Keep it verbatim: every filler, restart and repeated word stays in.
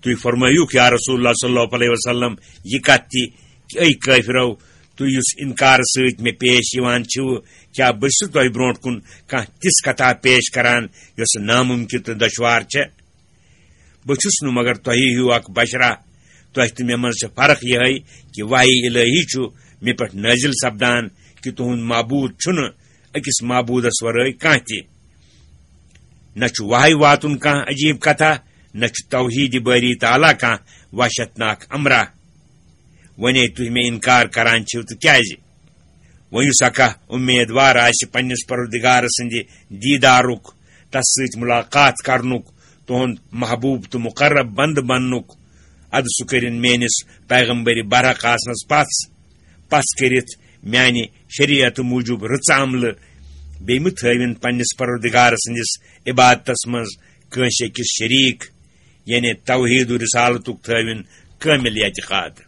تُہۍ فرمٲیِوکھ، یا رسول اللہ صلی اللہ علیہ وسلم، یہِ کتھ تہِ، کہ اے کٲفرو، تُہۍ یُس انکار سۭتۍ مےٚ پیش یِوان چھِو، کیٛاہ بہٕ چھُس تۄہہِ برونٛٹھ کُن کانٛہہ تِژھ کتھا پیش کران یۄس ناممکن تہٕ دشوار چھےٚ؟ بہٕ چھُس نہٕ مگر تۄہہِ ہیوٗ اکھ بشرا۔ تۄہہِ تہٕ مےٚ منٛز چھےٚ فرق یِہے کہ وحی الہی چھُ مےٚ پٮ۪ٹھ نٲزِل سپدان، کہ تُہُنٛد معبوٗد چھُنہٕ أکِس معبوٗدس ورٲے کانٛہہ تہِ۔ نہ چھُ وحی واتُن کانٛہہ عجیٖب کتھا، نہ چھُ توحیٖد بٲری تعالیٰ کانٛہہ وحشتناک امرا۔ وۄنۍ ہے تُہۍ مےٚ انکار کران چھِو تہٕ کیازِ؟ وۄنۍ یُس اکھ امیدوار آسہِ پننِس پروردگار سٕنٛدِ دیٖدارُک، تس سۭتۍ ملاقات کرنُک، تُہُنٛد محبوب تہٕ مقرب بندٕ بننُک، ادٕ سُہ کٔرِن میٲنِس پیغمبر برحق آسنس پژھ، پژھ کٔرِتھ میانہِ شریعت موٗجوٗب رٕژ عملہٕ، بیٚیہِ مہٕ تھٲوِن پننِس پروردگار سٕنٛدِس عبادتس منٛز کٲنٛسہِ أکِس شریٖک، یعنی توحید و رسالتُک تھٲوِن کٲمِل اعتقاد۔